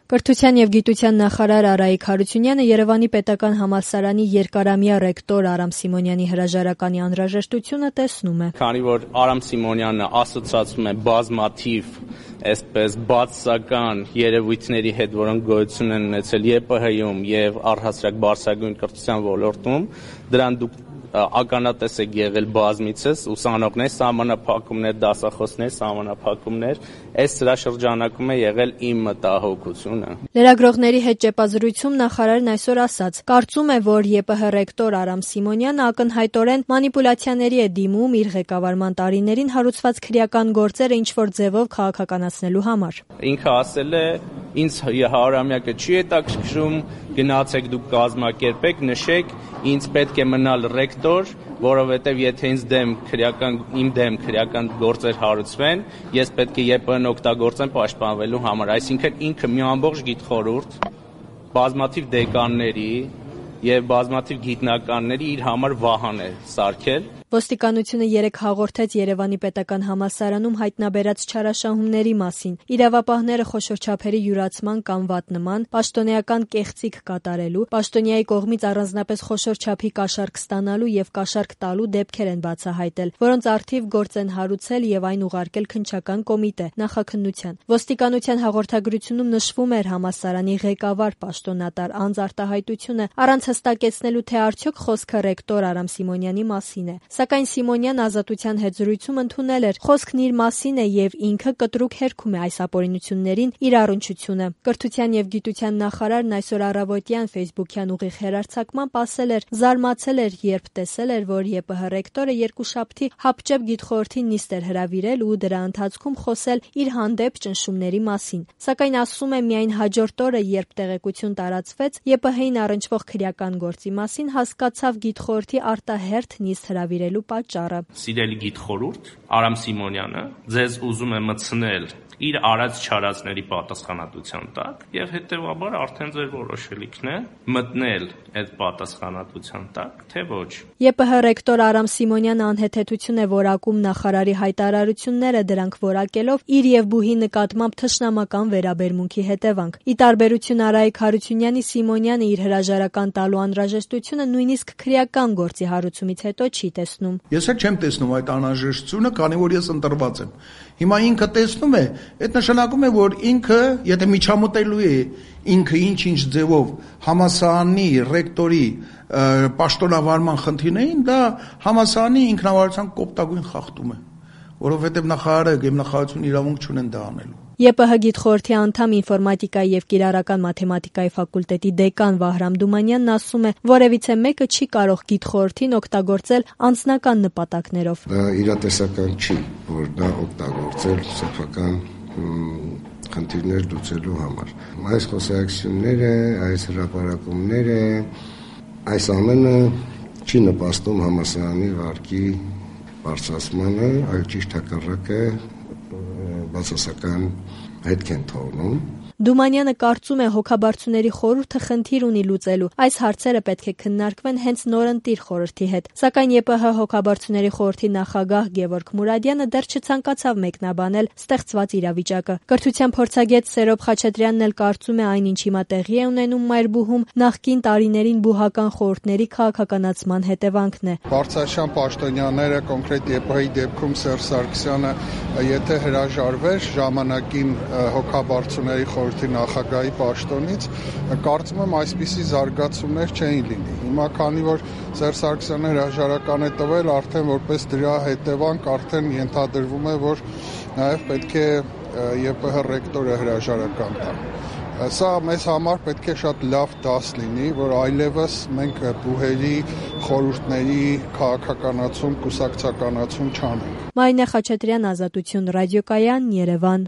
Կրթության և գիտության նախարար Արայիկ Հարությունյանը Երևանի պետական համալսարանի երկարամյա ռեկտոր Արամ Սիմոնյանի հրաժարականի անհրաժեշտությունը տեսնում է։ Քանի որ Արամ Սիմոնյանը ասոցացվում է բազմաթիվ այսպես բացասական երևույթների հետ, որոնք գոյություն են ունեցել ԵՊՀ-ում եւ առհասարակ բարձրագույն կրթության ոլորտում, դրան դուք ականատես եք եղել բազմիցս, ուսանողներ, սահմանափակումներ, դասախոսներ, սահմանափակումներ, այս սրա շրջանակում է եղել իմ մտահոգությունը։ Լրագրողների հետ ճեպազրույցում նախարարն այսօր ասաց. կարծում է, որ ԵՊՀ ռեկտոր Արամ Սիմոնյանը ակնհայտորեն մանիպուլյացիաների է դիմում իր ղեկավարման տարիներին հարուցված քրեական գործերը ինչ-որ ձևով քաղաքականացնելու համար։ Ինքը ասել է, ինձ 100-ամյակը չի հետաքրքրում, գնացեք դուք կազմակերպեք, նշեք, ինձ պետք է մնալ ռեկտոր, որովհետև եթե իմ դեմ քրեական գործեր հարուցվեն, ես պետք է ԵՊՀ-ն օգտագործեմ պաշտպանվելու համար, այսինքն ինքը մի ամբողջ գիտխորհուրդ, բազմաթիվ դեկանների եւ բազմաթիվ գիտնականների իր համար վահան է սարքել։ Ոստիկանությունը երեկ հաղորդեց Երևանի պետական համալսարանում հայտնաբերած չարաշահումների մասին։ Իրավապահները խոշոր չափերի յուրացման կամ վատնման, պաշտոնեական կեղծիք կատարելու, պաշտոնյայի կողմից առանձնապես խոշոր չափի կաշառք ստանալու եւ կաշառք տալու դեպքեր են բացահայտել, որոնց առթիվ գործ են հարուցել եւ այն ուղարկել քննչական կոմիտե նախաքննության։ Ոստիկանության հաղորդագրությունում նշվում էր համալսարանի ղեկավար պաշտոնատար անձ արտահայտությունը առանց հստակեցնելու, թե արդյոք խոսքը ռեկտոր Արամ Սիմոնյանի մասին է։ Սակայն Սիմոնյան Ազատության հետ զրույցում ընդունել էր խոսքն իր մասին է եւ ինքը կտրուկ հերքում է այս ապօրինություններին իր առնչությունը։ Կրթության եւ գիտության նախարարն այսօր առավոտյան Facebook-յան ուղիղ հեռարձակմամբ ասել էր, զարմացել էր, երբ տեսել էր, որ ԵՊՀ ռեկտորը երկուշաբթի հապճեպ գիտխորհրդի նիստ էր հրավիրել ու դրա ընթացքում խոսել իր հանդեպ ճնշումների մասին։ Սակայն ասում է միայն հաջորդ օրը, երբ տեղեկություն տարածվեց ԵՊՀ-ին առնչվող քրեական գործի մասին, հասկացավ գիտխորհրդի արտահերթ նիստ հրավիրելու պատճառը։ Սիրելի գիտխորհուրդ, Արամ Սիմոնյանը ձեզ ուզում է մտցնել իր արած չարածների պատասխանատվության տակ եւ հետեւաբար արդեն ձեր որոշելիքն է մտնել այդ պատասխանատվության տակ, թե ոչ։ ԵՊՀ ռեկտոր Արամ Սիմոնյանը անհեթեթություն է որակում նախարարի հայտարարությունները, դրանք որակելով իր եւ բուհի նկատմամբ թշնամական վերաբերմունքի հետևանք։ Ի տարբերություն Արայիկ Հարությունյանի, Սիմոնյանը իր հրաժարական տալու անհրաժեշտությունը նույնիսկ քրեական գործի հարուցումից հետո չի տեսնում։ Ես էլ չեմ տեսնում այդ անհրաժեշտությունը, քանի որ ես ընտրված եմ։ Հիմա ինքը տեսնում է, այդ նշանակում է, որ ինքը, եթե միջամտելու է ինքը ինչ ձևով համալսարանի ռեկտորի պաշտոնավարման խնդիրներին, դա համալսարանի ինքնավարության կոպտագույն խախտում է, որովհետև նախարարը եւ նախարարությունը իրավունք չունեն դա անելու։ ԵՊՀ գիտխորհրդի անդամ ինֆորմատիկայի եւ կիրառական մաթեմատիկայի ֆակուլտետի դեկան Վահրամ Դումանյանն ասում է, որևիցե մեկը չի կարող գիտխորհրդին օգտագործել անձնական նպատակներով։ Դա իրատեսական չի, որ դա օգտագործել սեփական խնդիրներ լուծելու համար։ Այս խոսակցությունները, այս հրապարակումները, այս ամենը չի նպաստում համալսարանի վարկի բարձրացմանը, այլ ճիշտ հակառակը բացասական հետք են թողնում։ Դումանյանը կարծում է, հոգաբարձուների խորհուրդը խնդիր ունի լուծելու։ Այս հարցերը պետք է քննարկվեն հենց նորընտիր խորհրդի հետ։ Սակայն ԵՊՀ հոգաբարձուների խորհրդի նախագահ Գևորգ Մուրադյանը դեռ չցանկացավ մեկնաբանել ստեղծված իրավիճակը։ Կրթության փորձագետ Սերոբ Խաչատրյանն էլ կարծում է, այն ինչ հիմա տեղի է ունենում Մայրբուհում, նախկին տարիներին բուհական խորհուրդների քաղաքականացման հետևանքն է։ Բարձրաշան պաշտոնյաները, կոնկրետ ԵՊՀ-ի դեպքում Սերժ Սարգսյանը, եթե հրաժարվեր ժամանակին հոգաբարձուների խորհրդի նախագահի պաշտոնից, կարծում եմ այսպիսի զարգացումներ չէին լինի։ Հիմա քանի որ Սերժ Սարգսյանը հրաժարական է տվել, արդեն որպես դրա հետևանք արդեն ենթադրվում է, որ նաև պետք է ԵՊՀ ռեկտորը հրաժարական տա։ Սա մեզ համար պետք է շատ լավ դաս լինի, որ այլևս մենք բուհերի խորհուրդների քաղաքականացում, կուսակցականացում չանենք։ Մարինե Խաչատրյան, Ազատություն, ռադիոկայան, Երևան։